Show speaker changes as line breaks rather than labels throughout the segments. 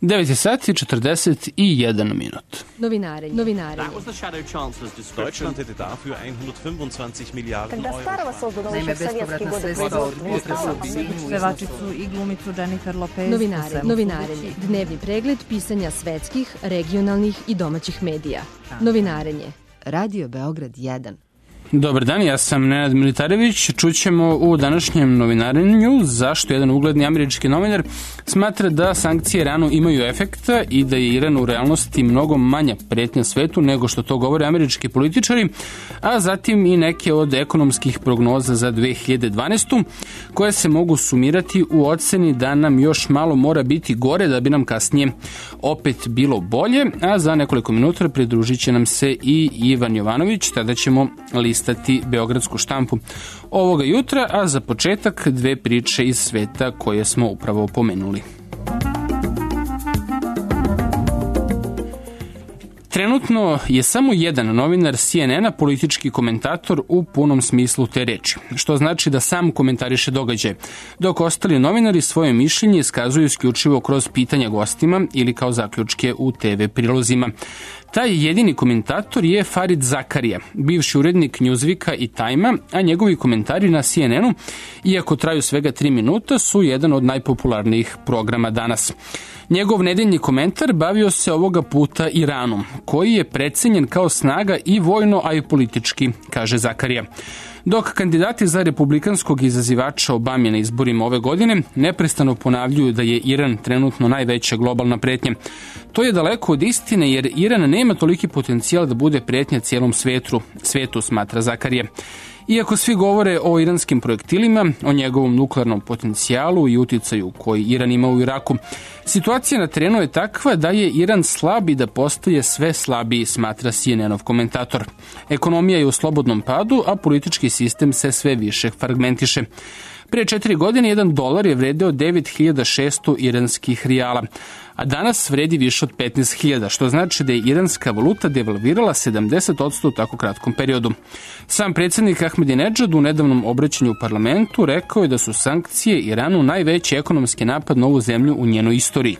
9 sati 41 minut.
Novinari.
Deutschland hätte dafür 125 Milijarden Euro.
Naime, bespovratna sredstva od pevačicu i glumicu Jennifer Lopez.
Novinarenje. Dnevni pregled pisanja svetskih, regionalnih i domaćih medija. Novinarenje. Radio Beograd 1.
Dobar dan, ja sam Nenad Militarević. Čućemo u današnjem novinarenju zašto jedan ugledni američki novinar smatra da sankcije Iranu imaju efekta i da je Iran u realnosti mnogo manja pretnja svetu nego što to govore američki političari, a zatim i neke od ekonomskih prognoza za 2012. koje se mogu sumirati u oceni da nam još malo mora biti gore da bi nam kasnije opet bilo bolje, a za nekoliko minuta pridružit će nam se i Ivan Jovanović, tada ćemo listati beogradsku štampu ovoga jutra, a za početak dve priče iz sveta koje smo upravo pomenuli. Trenutno je samo jedan novinar CNN-a politički komentator u punom smislu te reči, što znači da sam komentariše događaje, dok ostali novinari svoje mišljenje iskazuju isključivo kroz pitanja gostima ili kao zaključke u TV prilozima. Taj jedini komentator je Farid Zakarija, bivši urednik Newsweeka i Time-a, a njegovi komentari na CNN-u, iako traju svega 3 minuta, su jedan od najpopularnijih programa danas. Njegov nedeljni komentar bavio se ovoga puta Iranom, koji je precenjen kao snaga i vojno, a i politički, kaže Zakarija. Dok kandidati za republikanskog izazivača Obame na izborima ove godine neprestano ponavljaju da je Iran trenutno najveća globalna pretnja. To je daleko od istine jer Iran nema toliki potencijal da bude pretnja cijelom svetu, smatra Zakarija. Iako svi govore o iranskim projektilima, o njegovom nuklearnom potencijalu i uticaju koji Iran ima u Iraku, situacija na terenu je takva da je Iran slab i da postaje sve slabiji, smatra CNN-ov komentator. Ekonomija je u slobodnom padu, a politički sistem se sve više fragmentiše. Pre 4 godine $1 je vredeo 9600 iranskih rijala, a danas vredi više od 15.000, što znači da je iranska valuta devalvirala 70% u tako kratkom periodu. Sam predsjednik Ahmadinejad u nedavnom obraćanju u parlamentu rekao je da su sankcije Iranu najveći ekonomski napad na ovu zemlju u njenoj istoriji.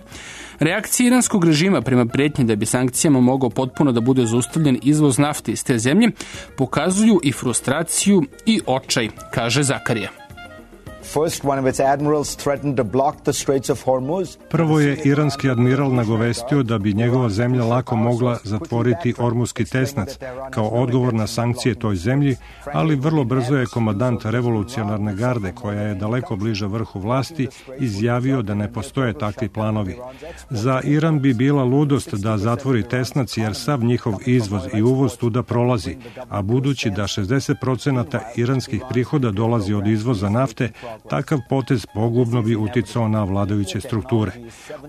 Reakcije iranskog režima prema pretnji da bi sankcijama mogao potpuno da bude zaustavljen izvoz nafte iz te zemlje pokazuju i frustraciju i očaj, kaže Zakarija.
Prvo je iranski admiral nagovestio da bi njegova zemlja lako mogla zatvoriti Ormuski tesnac kao odgovor na sankcije toj zemlji, ali vrlo brzo je komandant revolucionarne garde, koja je daleko bliže vrhu vlasti, izjavio da ne postoje takvi planovi. Za Iran bi bila ludost da zatvori tesnac jer sav njihov izvoz i uvoz tuda prolazi, a budući da 60% iranskih prihoda dolazi od izvoza nafte, takav potez pogubno bi uticao na vladajuće strukture.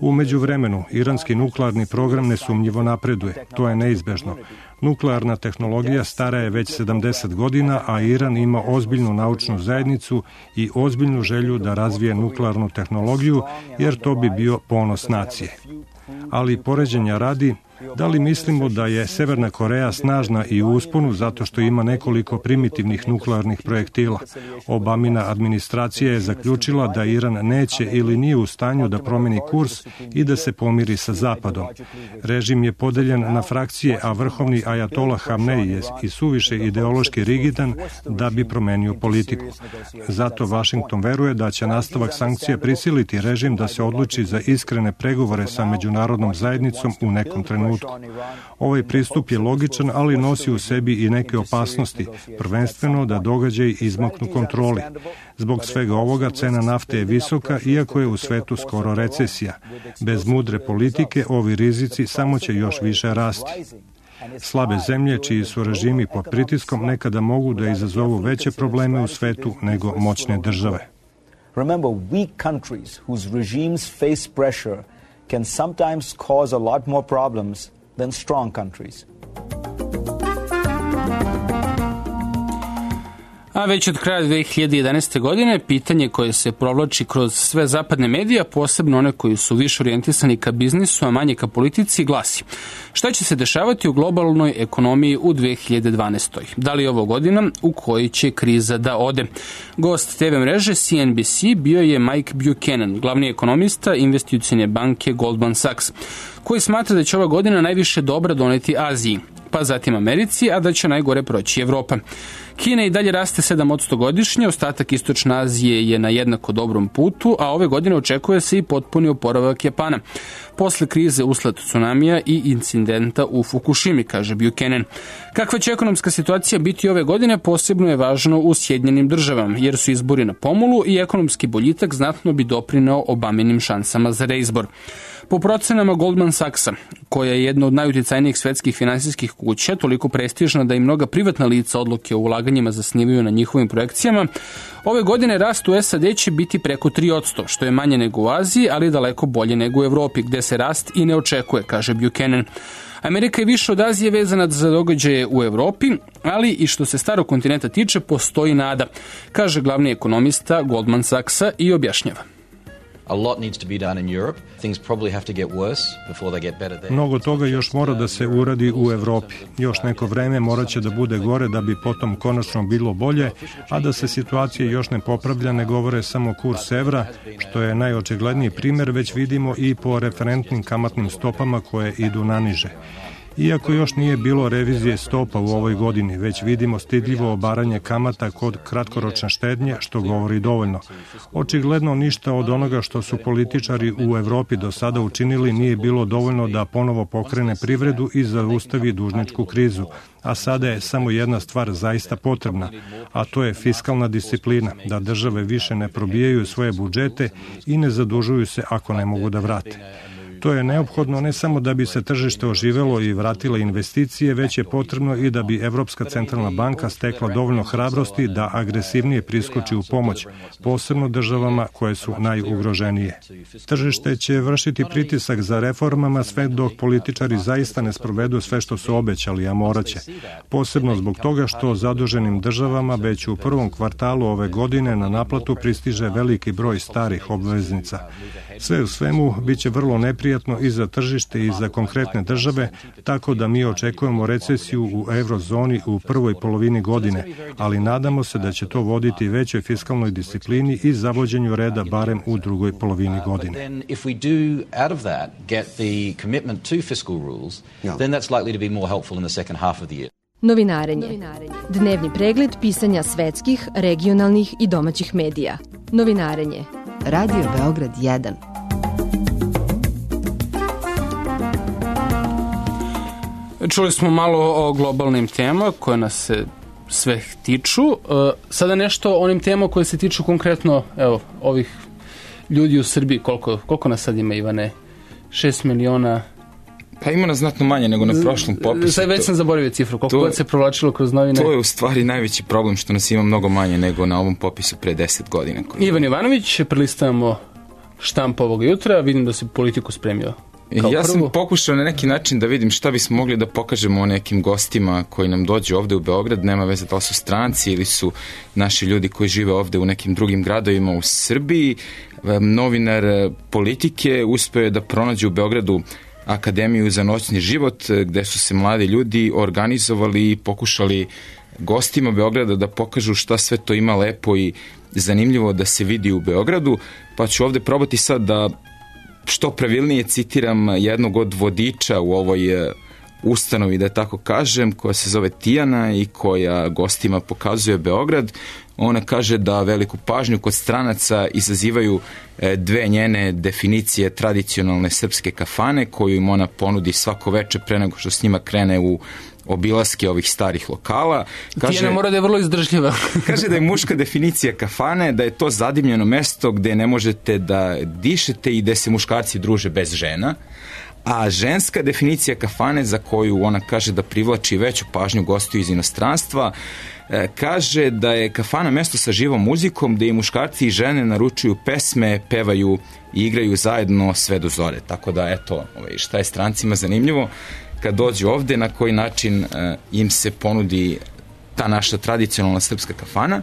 U međuvremenu, iranski nuklearni program nesumnjivo napreduje. To je neizbežno. Nuklearna tehnologija stara je već 70 godina, a Iran ima ozbiljnu naučnu zajednicu i ozbiljnu želju da razvije nuklearnu tehnologiju, jer to bi bio ponos nacije. Ali poređenja radi, da li mislimo da je Severna Koreja snažna i u usponu zato što ima nekoliko primitivnih nuklearnih projektila? Obamina administracija je zaključila da Iran neće ili nije u stanju da promeni kurs i da se pomiri sa Zapadom. Režim je podeljen na frakcije, a vrhovni ajatola Hamnej je i suviše ideološki rigidan da bi promenio politiku. Zato Washington veruje da će nastavak sankcija prisiliti režim da se odluči za iskrene pregovore sa međunarodnom zajednicom u nekom trenutku. Ovaj pristup je logičan, ali nosi u sebi i neke opasnosti, prvenstveno da događaji izmaknu kontroli. Zbog svega ovoga cena nafte je visoka, iako je u svetu skoro recesija. Bez mudre politike ovi rizici samo će još više rasti. Slabe zemlje, čiji su režimi pod pritiskom, nekada mogu da izazovu veće probleme u svetu nego moćne države.
Remember, weak countries whose regimes face pressure can sometimes cause a lot more problems than strong countries.
A već od kraja 2011. godine pitanje koje se provlači kroz sve zapadne medije, posebno one koji su više orijentisani ka biznisu, a manje ka politici, glasi: šta će se dešavati u globalnoj ekonomiji u 2012. Da li je ovo godina u kojoj će kriza da ode? Gost TV mreže CNBC bio je Mike Buchanan, glavni ekonomista investicione banke Goldman Sachs, koji smatra da će ova godina najviše dobra doneti Aziji, pa zatim Americi, a da će najgore proći Evropa. Kina i dalje raste 7% godišnje, ostatak Istočne Azije je na jednako dobrom putu, a ove godine očekuje se i potpuni oporavak Japana posle krize usled tsunamija i incidenta u Fukushimi, kaže Buchanan. Kakva će ekonomska situacija biti ove godine posebno je važno u Sjedinjenim Državama, jer su izbori na pomolu i ekonomski boljitak znatno bi doprineo Obaminim šansama za reizbor. Po procenama Goldman Sachsa, koja je jedna od najuticajnijih svetskih finansijskih kuća, toliko prestižna da i mnoga privatna lica odluke o ulaganjima zasnivaju na njihovim projekcijama, ove godine rast u SAD će biti preko 3%, što je manje nego u Aziji, ali daleko bolje nego u Evropi, gde se rast i ne očekuje, kaže Buchanan. Amerika je više od Azije vezana za događaje u Evropi, ali i što se starog kontinenta tiče, postoji nada, kaže glavni ekonomista Goldman Sachsa i objašnjava.
Mnogo toga još mora da se uradi u Evropi. Još neko vreme morat će da bude gore da bi potom konačno bilo bolje, a da se situacija još ne popravlja, ne govore samo kurs evra, što je najočigledniji primer, već vidimo i po referentnim kamatnim stopama koje idu naniže. Iako još nije bilo revizije stopa u ovoj godini, već vidimo stidljivo obaranje kamata kod kratkoročne štednje, što govori dovoljno. Očigledno ništa od onoga što su političari u Evropi do sada učinili nije bilo dovoljno da ponovo pokrene privredu i zaustavi dužničku krizu. A sada je samo jedna stvar zaista potrebna, a to je fiskalna disciplina, da države više ne probijaju svoje budžete i ne zadužuju se ako ne mogu da vrate. To je neophodno ne samo da bi se tržište oživelo i vratile investicije, već je potrebno i da bi Evropska centralna banka stekla dovoljno hrabrosti da agresivnije priskoči u pomoć, posebno državama koje su najugroženije. Tržište će vršiti pritisak za reformama sve dok političari zaista ne sprovedu sve što su obećali, a moraće. Posebno zbog toga što zaduženim državama već u prvom kvartalu ove godine na naplatu pristiže veliki broj starih obveznica. Sve u svemu biće vrlo neprijatno i za tržište i za konkretne države, tako da mi očekujemo recesiju u eurozoni u prvoj polovini godine, ali nadamo se da će to voditi većoj fiskalnoj disciplini i zavođenju reda barem u drugoj polovini godine.
Novinarenje. Dnevni pregled pisanja svetskih, regionalnih i domaćih medija. Novinarenje. Radio Beograd 1.
Čuli smo malo o globalnim temama koje nas se sve tiču. Sada nešto o onim temama koje se tiču konkretno ovih ljudi u Srbiji. Koliko nas sad ima, Ivane? 6 miliona...
Pa ima nas znatno manje nego na prošlom popisu.
Sad već sam zaboravio cifru, koliko god se provlačilo kroz novine.
To je u stvari najveći problem što nas ima mnogo manje nego na ovom popisu pre 10 godina.
Ivan Jovanović, prelistavamo štampu ovog jutra, vidim da si politiku spremio.
Ja sam pokušao na neki način da vidim šta bismo mogli da pokažemo o nekim gostima koji nam dođu ovde u Beograd, nema veze da li su stranci ili su naši ljudi koji žive ovde u nekim drugim gradovima u Srbiji. Novinar politike uspeo je da pronađe u Beogradu Akademiju za noćni život, gde su se mladi ljudi organizovali i pokušali gostima Beograda da pokažu šta sve to ima lepo i zanimljivo da se vidi u Beogradu, pa ću ovde probati sad da što pravilnije citiram jednog od vodiča u ovoj ustanovi, da tako kažem, koja se zove Tijana i koja gostima pokazuje Beograd. Ona kaže da veliku pažnju kod stranaca izazivaju dve njene definicije tradicionalne srpske kafane koju im ona ponudi svako veče pre nego što s njima krene u obilaske ovih starih lokala.
Tijana mora da je vrlo izdržljiva.
Kaže da je muška definicija kafane, da je to zadimljeno mesto gde ne možete da dišete i gde se muškarci druže bez žena. A ženska definicija kafane, za koju ona kaže da privlači veću pažnju gostiju iz inostranstva, kaže da je kafana mesto sa živom muzikom gde i muškarci i žene naručuju pesme, pevaju i igraju zajedno sve do zore. Tako da, eto, šta je strancima zanimljivo kad dođu ovde, na koji način im se ponudi ta naša tradicionalna srpska kafana.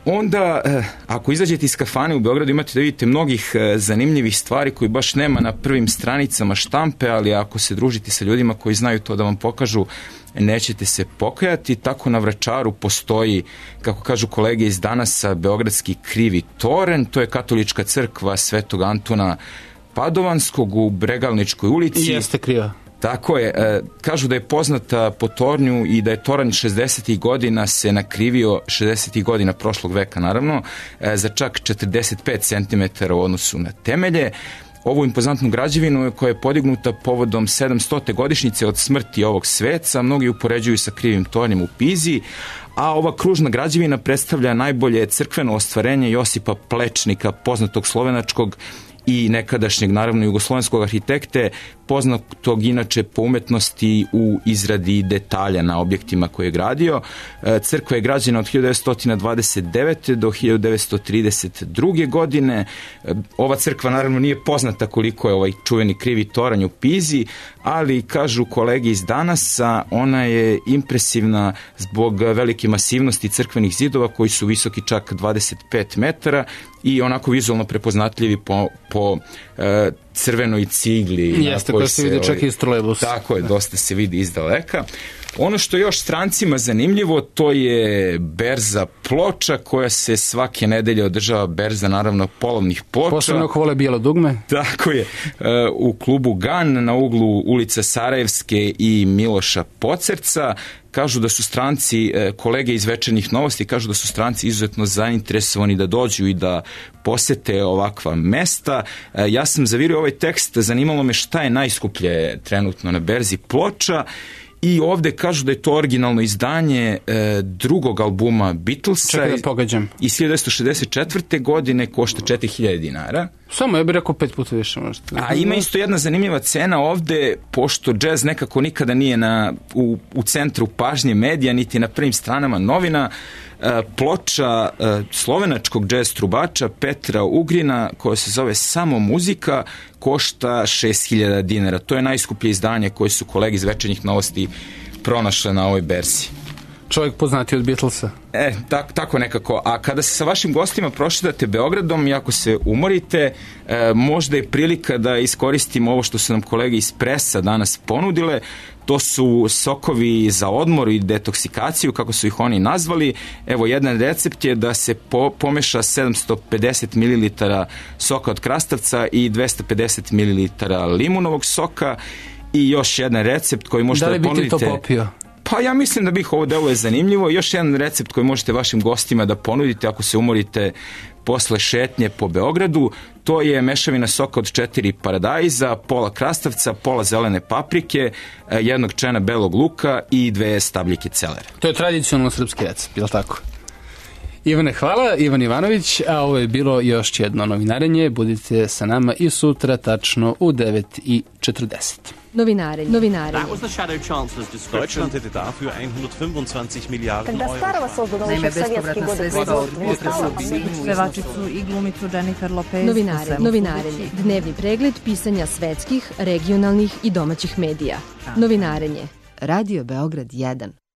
Onda, ako izađete iz kafane u Beogradu, imate da vidite mnogih zanimljivih stvari koji baš nema na prvim stranicama štampe, ali ako se družite sa ljudima koji znaju to da vam pokažu, nećete se pokajati. Tako na Vračaru postoji, kako kažu kolege iz Danasa, beogradski krivi toren, to je katolička crkva Svetog Antuna Padovanskog u Bregalničkoj ulici.
Jeste kriva.
Tako je, kažu da je poznata po tornju i da je toranj 60. godina se nakrivio, 60. godina prošlog veka naravno, za čak 45 cm u odnosu na temelje. Ovu impozantnu građevinu koja je podignuta povodom 700. godišnjice od smrti ovog sveca, mnogi upoređuju sa krivim tornjem u Pizi, a ova kružna građevina predstavlja najbolje crkveno ostvarenje Josipa Plečnika, poznatog slovenačkog i nekadašnjeg, naravno, jugoslovenskog arhitekte, poznatog inače po umetnosti u izradi detalja na objektima koje je gradio. Crkva je građena od 1929. do 1932. godine. Ova crkva naravno nije poznata koliko je ovaj čuveni krivi toranj u Pizi, ali kažu kolege iz Danasa, ona je impresivna zbog velike masivnosti crkvenih zidova koji su visoki čak 25 metara i onako vizualno prepoznatljivi po crvenoj cigli.
Jeste, koja se vidi čak iz trolejbusa.
Tako je, dosta se vidi iz daleka. Ono što je još strancima zanimljivo, to je berza ploča koja se svake nedelje održava, berza naravno polovnih ploča.
Posebno ako vole bijelo dugme.
Tako je, u klubu GAN na uglu ulica Sarajevske i Miloša Pocerca. Kažu da su stranci, kolege iz Večernjih novosti, kažu da su stranci izuzetno zainteresovani da dođu i da posete ovakva mesta. Ja sam zavirio ovaj tekst, zanimalo me šta je najskuplje trenutno na berzi ploča. I ovde kažu da je to originalno izdanje drugog albuma Beatlesa.
Čekaj da pogađam.
Iz 1964. godine, košta 4000 dinara.
Samo, ja bih rekao 5 puta više možda.
A ima isto jedna zanimljiva cena ovde, pošto džez nekako nikada nije u centru pažnje medija, niti na prvim stranama novina. Ploča slovenačkog džez trubača Petra Ugrina, koja se zove Samo muzika, košta 6000 dinara. To je najskuplje izdanje koje su kolege iz Večernjih novosti pronašle na ovoj berzi.
Čovjek poznati od Beatlesa.
Tako nekako. A kada se sa vašim gostima prošetate Beogradom i ako se umorite, možda je prilika da iskoristimo ovo što su nam kolege iz Presa danas ponudile. To su sokovi za odmor i detoksikaciju, kako su ih oni nazvali. Evo, jedan recept je da se pomeša 750 ml soka od krastavca i 250 ml limunovog soka. I još jedan recept koji možete da ponudite.
Da li bi ti to popio?
Pa ja mislim da bih, ovo deluje zanimljivo. Još jedan recept koji možete vašim gostima da ponudite ako se umorite posle šetnje po Beogradu, to je mešavina soka od 4 paradajza, pola krastavca, pola zelene paprike, jednog čena belog luka i 2 stabljike celere.
To je tradicionalno srpski recept, je li tako? Ivane, hvala. Ivan Ivanović, a ovo je bilo još jedno novinarenje. Budite sa nama i sutra tačno u 9:40.
Novinarenje.
That was the Shadow Chancellor's description. Deutschland hätte dafür 125 Miliarden Euro.
Naime, bespovratna sredstva od pevačicu i glumicu Jennifer Lopez.
Novinarenje. Dnevni pregled pisanja svetskih, regionalnih i domaćih medija. Novinarenje. Radio Beograd 1.